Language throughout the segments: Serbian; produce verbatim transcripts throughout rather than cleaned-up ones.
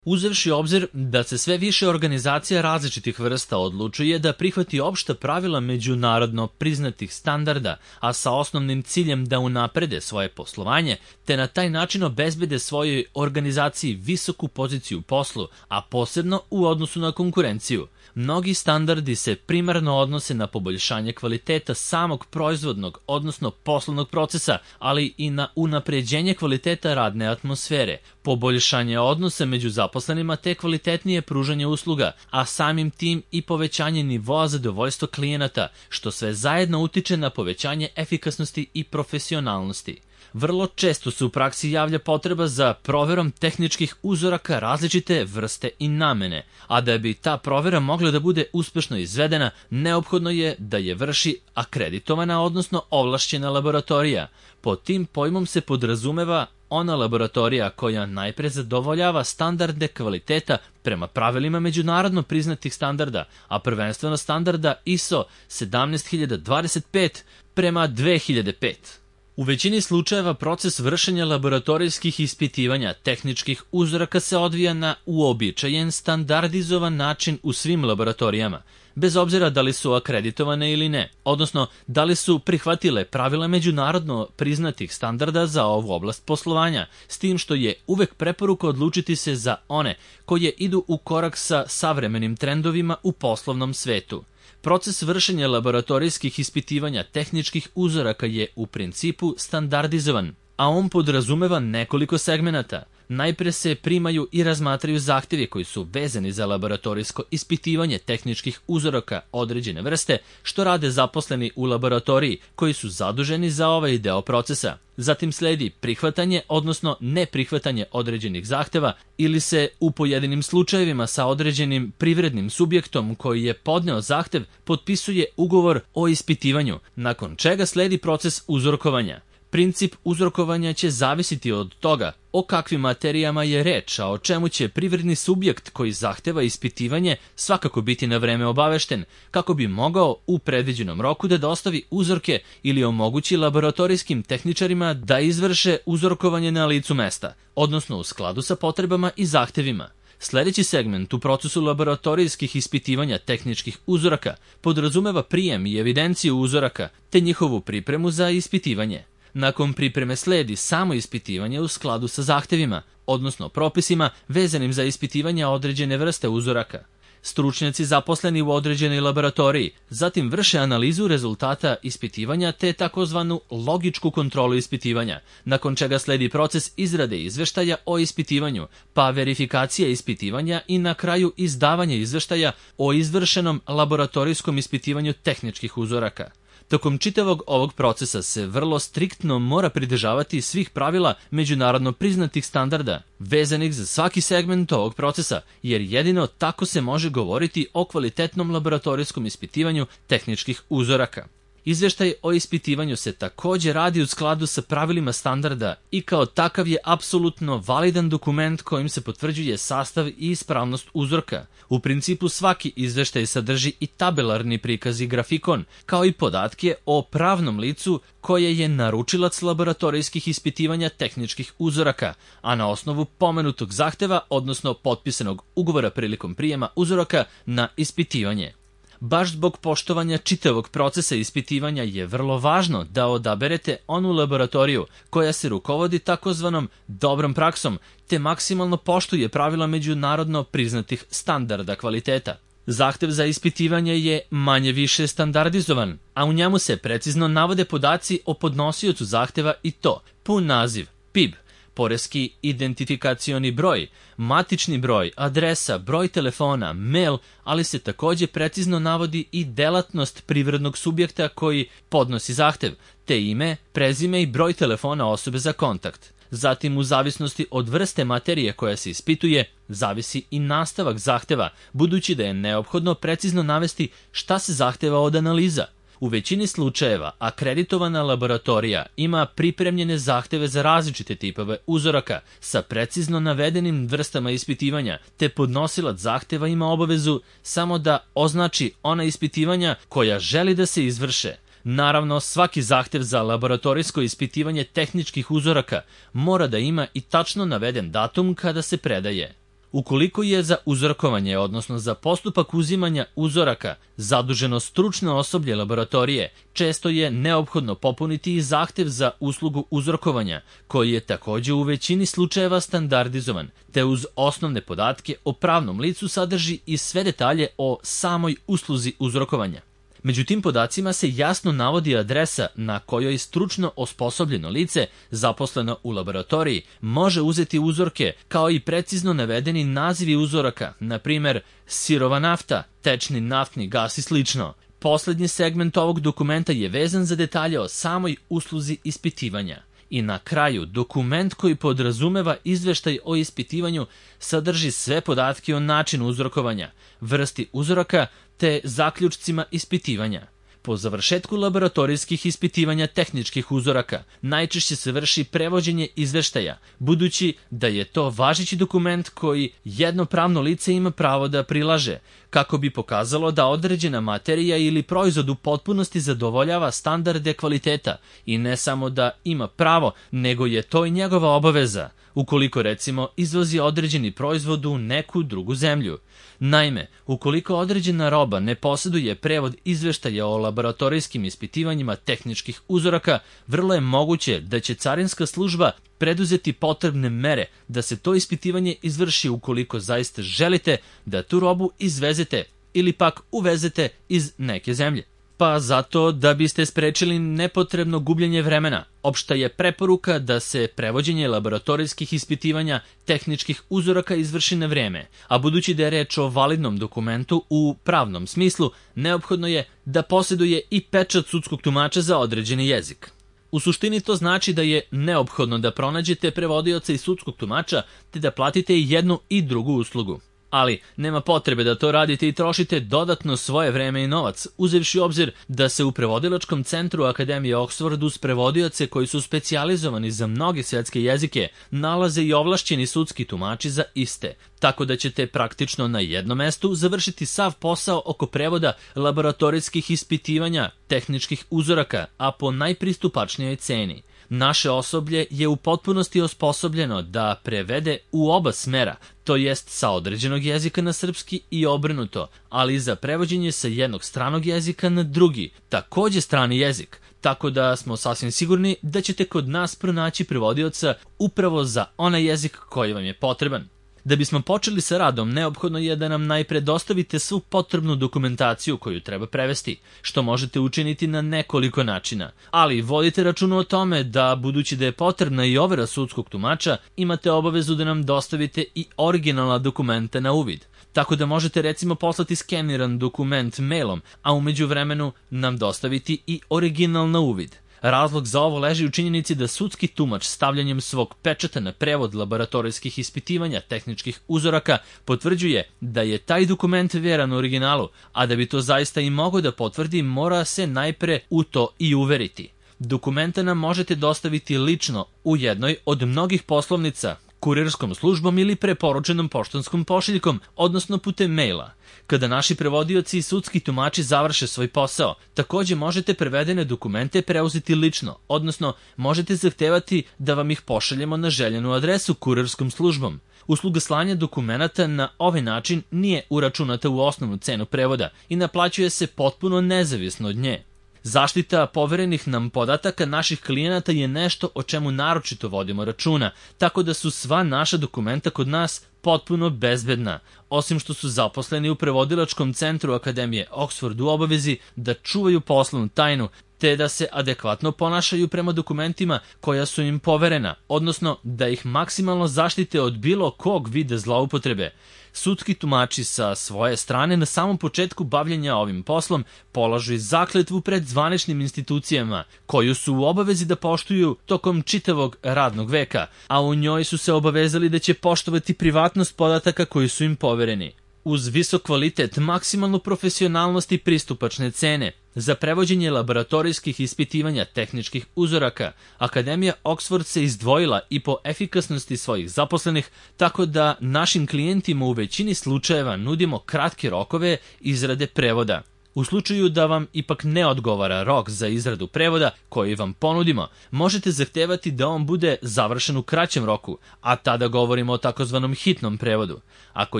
Uzevši obzir da se sve više organizacija različitih vrsta odlučuje da prihvati opšta pravila međunarodno priznatih standarda, a sa osnovnim ciljem da unaprede svoje poslovanje, te na taj način obezbede svojoj organizaciji visoku poziciju u poslu, a posebno u odnosu na konkurenciju. Mnogi standardi se primarno odnose na poboljšanje kvaliteta samog proizvodnog, odnosno poslovnog procesa, ali i na unapređenje kvaliteta radne atmosfere, poboljšanje odnosa među zaposlenima te kvalitetnije pružanje usluga, a samim tim i povećanje nivoa zadovoljstva klijenata, što sve zajedno utiče na povećanje efikasnosti i profesionalnosti. Vrlo često se u praksi javlja potreba za proverom tehničkih uzoraka različite vrste i namene, a da bi ta provera mogla da bude uspešno izvedena, neophodno je da je vrši akreditovana, odnosno ovlašćena laboratorija. Pod tim pojmom se podrazumeva ona laboratorija koja najpre zadovoljava standarde kvaliteta prema pravilima međunarodno priznatih standarda, a prvenstveno standarda I S O sedamnaest hiljada dvadeset pet prema dve hiljade pet. U većini slučajeva proces vršenja laboratorijskih ispitivanja tehničkih uzoraka se odvija na uobičajen, standardizovan način u svim laboratorijama, bez obzira da li su akreditovane ili ne, odnosno da li su prihvatile pravila međunarodno priznatih standarda za ovu oblast poslovanja, s tim što je uvek preporuka odlučiti se za one koje idu u korak sa savremenim trendovima u poslovnom svetu. Proces vršenja laboratorijskih ispitivanja tehničkih uzoraka je u principu standardizovan, a on podrazumeva nekoliko segmenata. Najpre se primaju i razmatraju zahtevi koji su vezani za laboratorijsko ispitivanje tehničkih uzoraka određene vrste, što rade zaposleni u laboratoriji koji su zaduženi za ovaj deo procesa. Zatim sledi prihvatanje, odnosno neprihvatanje određenih zahteva ili se u pojedinim slučajevima sa određenim privrednim subjektom koji je podneo zahtev potpisuje ugovor o ispitivanju, nakon čega sledi proces uzorkovanja. Princip uzorkovanja će zavisiti od toga o kakvim materijama je reč, a o čemu će privredni subjekt koji zahteva ispitivanje svakako biti na vreme obavešten, kako bi mogao u predviđenom roku da dostavi uzorke ili omogući laboratorijskim tehničarima da izvrše uzorkovanje na licu mesta, odnosno u skladu sa potrebama i zahtevima. Sljedeći segment u procesu laboratorijskih ispitivanja tehničkih uzoraka podrazumeva prijem i evidenciju uzoraka te njihovu pripremu za ispitivanje. Nakon pripreme sledi samo ispitivanje u skladu sa zahtevima, odnosno propisima vezanim za ispitivanje određene vrste uzoraka. Stručnjaci zaposleni u određenoj laboratoriji zatim vrše analizu rezultata ispitivanja te takozvanu logičku kontrolu ispitivanja, nakon čega sledi proces izrade izveštaja o ispitivanju, pa verifikacija ispitivanja i na kraju izdavanje izveštaja o izvršenom laboratorijskom ispitivanju tehničkih uzoraka. Tokom čitavog ovog procesa se vrlo striktno mora pridržavati svih pravila međunarodno priznatih standarda, vezanih za svaki segment ovog procesa, jer jedino tako se može govoriti o kvalitetnom laboratorijskom ispitivanju tehničkih uzoraka. Izveštaj o ispitivanju se također radi u skladu sa pravilima standarda i kao takav je apsolutno validan dokument kojim se potvrđuje sastav i ispravnost uzorka. U principu svaki izveštaj sadrži i tabelarni prikaz i grafikon, kao i podatke o pravnom licu koje je naručilac laboratorijskih ispitivanja tehničkih uzoraka, a na osnovu pomenutog zahteva, odnosno potpisanog ugovora prilikom prijema uzoraka na ispitivanje. Baš zbog poštovanja čitavog procesa ispitivanja je vrlo važno da odaberete onu laboratoriju koja se rukovodi takozvanom dobrom praksom, te maksimalno poštuje pravila međunarodno priznatih standarda kvaliteta. Zahtev za ispitivanje je manje više standardizovan, a u njemu se precizno navode podaci o podnosiocu zahteva i to pun naziv, P I B, poreski identifikacioni broj, matični broj, adresa, broj telefona, mail, ali se također precizno navodi i delatnost privrednog subjekta koji podnosi zahtev, te ime, prezime i broj telefona osobe za kontakt. Zatim, u zavisnosti od vrste materije koja se ispituje, zavisi i nastavak zahteva, budući da je neophodno precizno navesti šta se zahteva od analiza. U većini slučajeva akreditovana laboratorija ima pripremljene zahteve za različite tipove uzoraka sa precizno navedenim vrstama ispitivanja, te podnosilac zahteva ima obavezu samo da označi ona ispitivanja koja želi da se izvrše. Naravno, svaki zahtev za laboratorijsko ispitivanje tehničkih uzoraka mora da ima i tačno naveden datum kada se predaje. Ukoliko je za uzorkovanje, odnosno za postupak uzimanja uzoraka, zaduženo stručno osoblje laboratorije, često je neophodno popuniti i zahtev za uslugu uzorkovanja, koji je takođe u većini slučajeva standardizovan, te uz osnovne podatke o pravnom licu sadrži i sve detalje o samoj usluzi uzorkovanja. Među tim podacima se jasno navodi adresa na kojoj stručno osposobljeno lice, zaposleno u laboratoriji, može uzeti uzorke, kao i precizno navedeni nazivi uzoraka, na primer sirova nafta, tečni naftni gas i slično. Poslednji segment ovog dokumenta je vezan za detalje o samoj usluzi ispitivanja. I na kraju, dokument koji podrazumeva izveštaj o ispitivanju sadrži sve podatke o načinu uzorkovanja, vrsti uzoraka te zaključcima ispitivanja. Po završetku laboratorijskih ispitivanja tehničkih uzoraka najčešće se vrši prevođenje izveštaja, budući da je to važeći dokument koji jedno pravno lice ima pravo da prilaže, kako bi pokazalo da određena materija ili proizvod u potpunosti zadovoljava standarde kvaliteta i ne samo da ima pravo, nego je to i njegova obaveza, ukoliko recimo izvozi određeni proizvod u neku drugu zemlju. Naime, ukoliko određena roba ne posjeduje prevod izveštaja o laboratorijskim ispitivanjima tehničkih uzoraka, vrlo je moguće da će carinska služba preduzeti potrebne mere da se to ispitivanje izvrši ukoliko zaista želite da tu robu izvezete ili pak uvezete iz neke zemlje. Pa zato da biste sprečili nepotrebno gubljenje vremena, opšta je preporuka da se prevođenje laboratorijskih ispitivanja tehničkih uzoraka izvrši na vreme, a budući da je reč o validnom dokumentu u pravnom smislu, neophodno je da posjeduje i pečat sudskog tumača za određeni jezik. U suštini to znači da je neophodno da pronađete prevodioca i sudskog tumača te da platite i jednu i drugu uslugu. Ali nema potrebe da to radite i trošite dodatno svoje vreme i novac, uzevši u obzir da se u prevodilačkom centru Akademije Oxford uz prevodioce koji su specijalizovani za mnoge svetske jezike nalaze i ovlašćeni sudski tumači za iste, tako da ćete praktično na jednom mestu završiti sav posao oko prevoda laboratorijskih ispitivanja tehničkih uzoraka, a po najpristupačnijoj ceni. Naše osoblje je u potpunosti osposobljeno da prevede u oba smera, to jest sa određenog jezika na srpski i obrnuto, ali i za prevođenje sa jednog stranog jezika na drugi, takođe strani jezik, tako da smo sasvim sigurni da ćete kod nas pronaći prevodioca upravo za onaj jezik koji vam je potreban. Da bismo počeli sa radom, neophodno je da nam najpre dostavite svu potrebnu dokumentaciju koju treba prevesti, što možete učiniti na nekoliko načina. Ali vodite računa o tome da, budući da je potrebna i overa sudskog tumača, imate obavezu da nam dostavite i originalna dokumenta na uvid. Tako da možete recimo poslati skeniran dokument mailom, a u međuvremenu nam dostaviti i original na uvid. Razlog za ovo leži u činjenici da sudski tumač stavljanjem svog pečata na prevod laboratorijskih ispitivanja tehničkih uzoraka potvrđuje da je taj dokument veran originalu, a da bi to zaista i mogao da potvrdi, mora se najpre u to i uveriti. Dokumenta nam možete dostaviti lično u jednoj od mnogih poslovnica, kurirskom službom ili preporučenom poštanskom pošiljkom, odnosno putem maila. Kada naši prevodioci i sudski tumači završe svoj posao, takođe možete prevedene dokumente preuzeti lično, odnosno možete zahtevati da vam ih pošaljemo na željenu adresu kurirskom službom. Usluga slanja dokumenata na ovaj način nije uračunata u osnovnu cenu prevoda i naplaćuje se potpuno nezavisno od nje. Zaštita poverenih nam podataka naših klijenata je nešto o čemu naročito vodimo računa, tako da su sva naša dokumenta kod nas potpuno bezbedna, osim što su zaposleni u prevodilačkom centru Akademije Oxford u obavezi da čuvaju poslovnu tajnu, te da se adekvatno ponašaju prema dokumentima koja su im poverena, odnosno da ih maksimalno zaštite od bilo kog vida zloupotrebe. Sudski tumači sa svoje strane na samom početku bavljenja ovim poslom polažu i zakletvu pred zvaničnim institucijama, koju su u obavezi da poštuju tokom čitavog radnog veka, a u njoj su se obavezali da će poštovati privatnost podataka koji su im povereni. Uz visok kvalitet, maksimalnu profesionalnost i pristupačne cene, za prevođenje laboratorijskih ispitivanja tehničkih uzoraka, Akademija Oxford se izdvojila i po efikasnosti svojih zaposlenih, tako da našim klijentima u većini slučajeva nudimo kratke rokove izrade prevoda. U slučaju da vam ipak ne odgovara rok za izradu prevoda koji vam ponudimo, možete zahtevati da on bude završen u kraćem roku, a tada govorimo o takozvanom hitnom prevodu. Ako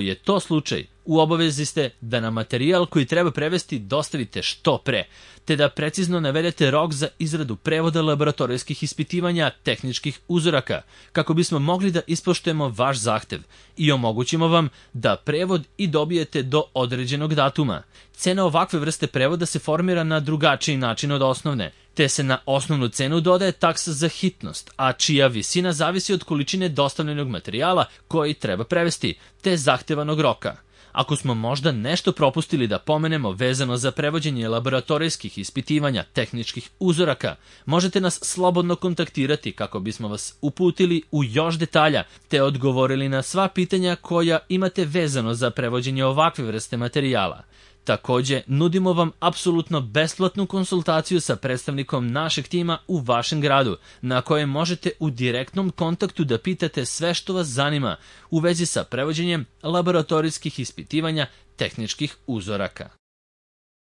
je to slučaj, u obavezi ste da nam materijal koji treba prevesti dostavite što pre, te da precizno navedete rok za izradu prevoda laboratorijskih ispitivanja tehničkih uzoraka, kako bismo mogli da ispoštujemo vaš zahtev i omogućimo vam da prevod i dobijete do određenog datuma. Cena ovakve vrste prevoda se formira na drugačiji način od osnovne, te se na osnovnu cenu dodaje taksa za hitnost, a čija visina zavisi od količine dostavljenog materijala koji treba prevesti, te zahtevanog roka. Ako smo možda nešto propustili da pomenemo vezano za prevođenje laboratorijskih ispitivanja tehničkih uzoraka, možete nas slobodno kontaktirati kako bismo vas uputili u još detalja, te odgovorili na sva pitanja koja imate vezano za prevođenje ovakve vrste materijala. Takođe, nudimo vam apsolutno besplatnu konsultaciju sa predstavnikom našeg tima u vašem gradu, na kojem možete u direktnom kontaktu da pitate sve što vas zanima u vezi sa prevođenjem laboratorijskih ispitivanja tehničkih uzoraka.